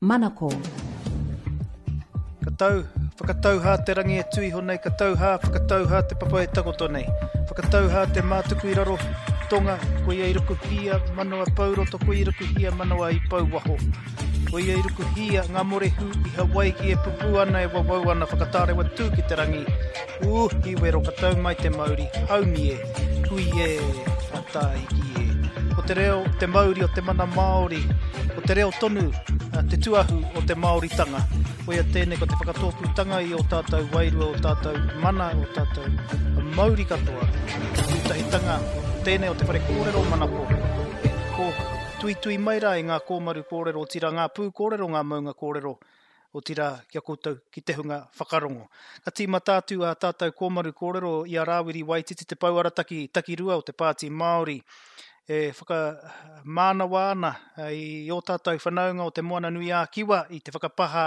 Manako. Ka tau, whakatau hā te rangi e tū iho nei, ka tau hā, whakatau hā te papa e takoto nei. Whakatau hā te mātuku i raro tonga, koia i rukuhia manawa pou roto, koia i rukuhia manawa i pou waho. Koia i rukuhia ngā morehu i Hawaiki e pupū ana e wawau ana whakatārewa tū ki te rangi. Ū, i wero ka tau mai te mauri, haumi e, hui e, a tāiki e. Ko te reo, te mauri o te mana Māori, ko te reo tonu, te tuahu o te Māoritanga. Koia tēnei ko te whakatōpūtanga i ō tātou wairua, ō tātou mana, ō tātou mauri katoa. Te pūtahitanga tēnei o te whare kōrero manako. E kō tuitui mai rā i ngā kōmaru kōrero, otirā ngā pū kōrero, ngā maunga kōrero, otirā ki a koutou, ki te hunga whakarongo. Ka tīmata atu ā tātou kōmaru kōrero i a Rāwiri Waititi te pou arataki takirua o te Pāti Māori e whakamānawa ana i ō tātou whanaunga o Te Moana-nui-ā-Kiwa i te whakapahā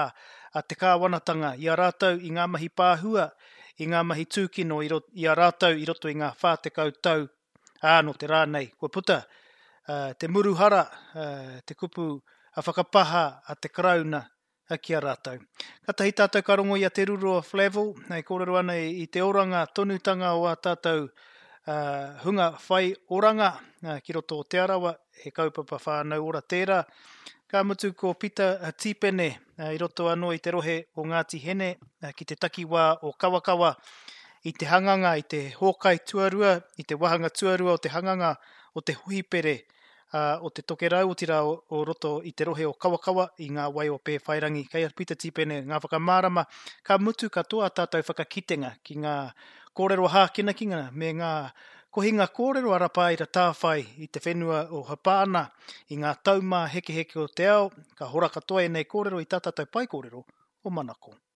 a te kāwanatanga i a rātou i ngā mahi pāhua, i ngā mahi tūkino i a rātou i roto i ngā 40 tau, ā, nō te rā nei kua puta te muru hara, te kupu whakapahā a te Karauna ki a rātou. Katahi tātou ka rongo i a Te Ruroa Flavell, e kōrero ana i te oranga tonutanga o ā tātou hunga whai oranga ki roto o Te Arawa, he kaupapa whānau ora tērā. Ka mutu ko Pita Tīpene i roto anō i te rohe o Ngāti Hene ki te takiwā o Kawakawa i te hanganga, i te hōkai tuarua, i te wāhanga tuarua o te hanganga o te hohipere o Te Tokerau, otirā o roto i te rohe o Kawakawa, i ngā wai o Pēwhairangi. Kei a Pita Tīpene ngā whakamārama, ka mutu katoa ā tātou whakakitenga ki ngā kōrero hākinakina me ngā kohinga kōrero a Rapaira Tāwhai i te whenua o Hapāna, i ngā taumāhekeheke o te ao, ka hora katoa ēnei kōrero i tā tātou pae kōrero o Manako.